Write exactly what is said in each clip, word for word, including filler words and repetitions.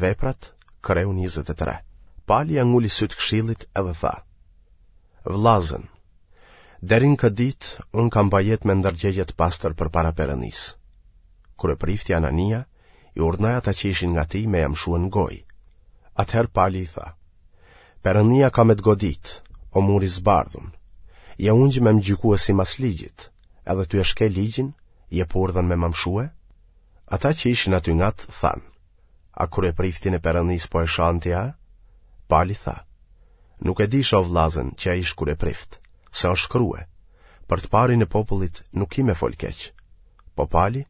Veprat, kreu njëzet e tre. Pali ia nguli sytë këshillit edhe tha: Vllazën, deri në këtë ditë unë kam ba jetë me ndërgjegje të pastër përpara Perëndisë. Kryeprifti Anania i urdhnoi ata që ishin ngat tij me ia mshue në gojë. Atëherë Pali i tha: Perëndia ka me të godit, o mur i zbardhun. Je ungj me më gjykue simas ligjit, edhe tu e shkel ligjin, jep urdhën me ma mshue? Ata që ishin aty ngat thanë: A kryepriftin e Perëndisë po e shan ti a? Pali tha: Nuk e disha o vllazën që ai ish kryeprift, se është shkrue, për të parin e popullit nuk ki me fol keq. Po Pali,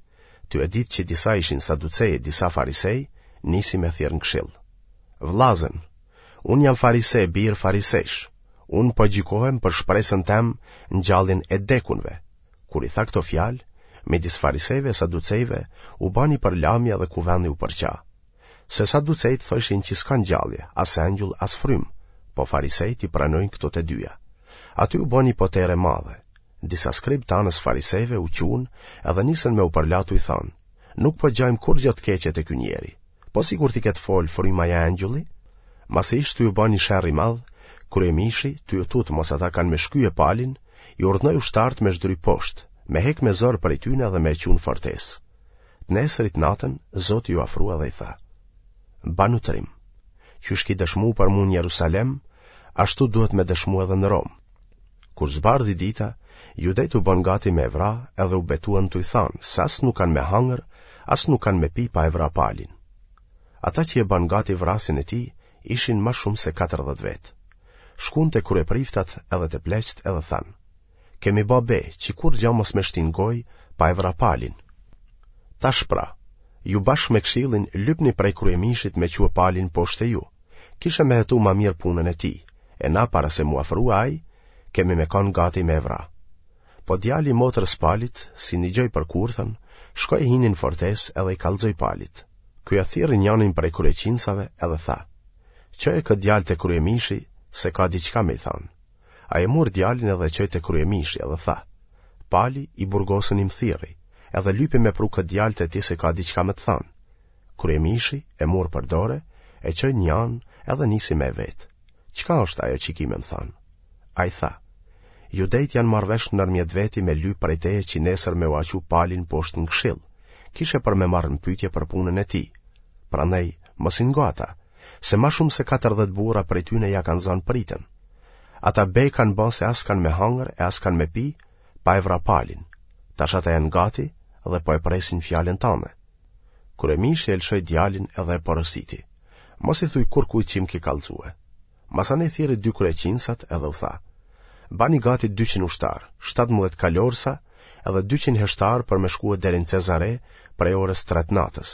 tu e ditë që disa ishin saducej e disa farisej, nisi me thirrë në këshill. Vllazën, unë jam farise, bir farisejsh, unë po gjykohem për shpresën tem në ngjalljen e dekunve. Kur i tha këto fjalë, midis farisejve e saducejve u ba ni përlamje dhe kuvendi u përça. Se saducejtë thojshin që s'ka ngjallje, as engjull, as frymë, po farisejtë i pranojnë këto të dyja. Aty u ba ni potere e madhe. Disa skribë të anës farisejve u çunë edhe nisën me u përla tuj thanë, nuk po gjajmë kurrgjë të keqe te ky njeri, po sikur t'i ketë folë fryma ja engjulli? Masi ish tuj u ba një sherr i madh, kryemishi, tuj u tutë mos ata kanë me shkye Palin, i urdhnoi ushtarët me zhdryp poshtë, me hek me zor prej tyne dhe me e çu në fortesë. Të nesrit natën, Zoti iu afrua dhe i tha: Banu trim, qysh ki dëshmu për mu në Jerusalem, ashtu duhet me dëshmu edhe në Romë. Kur zbardhi dita, judejtë u bënë gati me e vra edhe u betuan tuj thanë se as nuk kanë me hangër, as nuk kanë me pi pa e vra Palin. Ata që e bënë gati vrasjen e tij ishin ma shumë se katërdhjetë vetë. Shkun te kryepriftat edhe te pleqtë edhe thanë: Kemi ba be që kurrgja mos me shti në gojë pa e vra Palin. Tash pra, ju bashkë me këshillin lypni prej kryemishit me çue Palin poshtë te ju. Kishe me hetu ma mirë punën e tij, e na para se m'u afrua ai, kemi me kanë gati me e vra. Po djali i motrës Palit, si nigjoi për kurthën, shkoi hini në fortesë edhe i kallxoi Palit. Ky e thirri njanin prej kryeqinsave edhe tha: Çoje këtë djalë te kryemishi, se ka diçka me i thanë. Ai e mur djalin edhe e çoi te kryemishi edhe tha: Pali i burgosuni më thirri, edhe lypi me pru këtë djalë te ti se ka diçka me të thanë. Kryemishi e mur për dore, e çoi një anë edhe nisi me e vet. Çka është ajo që ki me më thanë? Ai tha: Judejt janë marrë vesh ndërmjet veti me lyp prej teje që nesër me ua çu Palin poshtë në këshill, kishe për me marrë në pyetje për punën e tij. Prandaj, mos i ngo ata, se ma shumë se katërdhjetë burra prej tyne ja kanë zanë pritën. Ata be kanë ba se as kanë me hangër e as kanë me pi, pa e vra Palin. Tash ata janë gati dhe po e presin fjalën tande. Kryemishi e lëshoi djalin edhe e porositi: Mos i thuj kurrkujt që më ke kallxue. Masanej thirri dy kryeqinsat edhe u tha: Bani gati dyqind ushtarë, shtatëmbëdhjetë kalorësa edhe dyqind heshtarë për me shkue deri në Cezare prej orës tre të natës.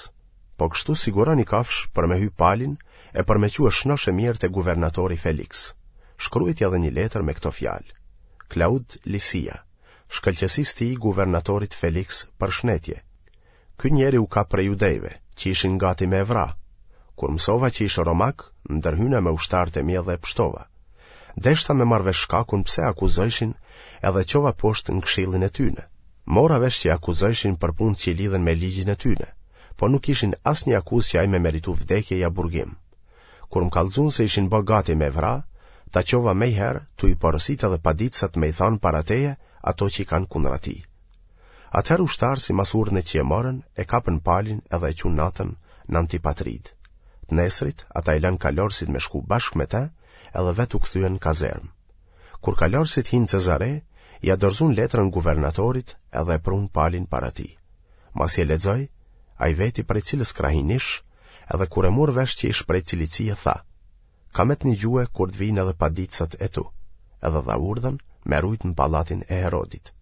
Po kështu siguroni kafsh për me hy Palin e për me çue shnosh e mirë te guvernatori Felix. Shkruajti edhe një letër me këto fjalë: Klaud Lisia, shkëlqesisë tij guvernatorit Felix përshnetje. Ky njeri u kap prej judejve, që ishin gati me e vra. Kur mësova që ish romak, ndërhyna me ushtarët e mi edhe e pshtova. Deshta me marrë vesh shkakun pse akuzojshin edhe çova poshtë në këshillin e tyne. Mora vesh që akuzojshin për punë që i lidhen me ligjin e tyne, po nuk ishin asnjë akuzë që ai me meritu vdekje ja burgim. Kur më kallxuan se ishin bë gati me vra, ta çova mejherë tu i porosit edhe paditësat me i thanë para teje ato që i kanë kundra tij. Atëherë ushtarë simas urdhnit që e morën, e kapën Palin edhe e çunë natën në Antipatrid. Të nesrit, ata i lanë kalorësit me shku bashkë me te, edhe vetë u kthyen në kazermë. Kur kalorësit hinë Cezare, ia dorëzuan letrën guvernatorit edhe e prunë Palin para tij. Masi e lexoi, ai veti prej cilës krahinë ish, edhe kur e mur vesh që ish prej Cilicie, tha: Ka me të nigjue kur të vijnë edhe paditësat e tu, edhe dha urdhën me rujt në pallatin e Herodit.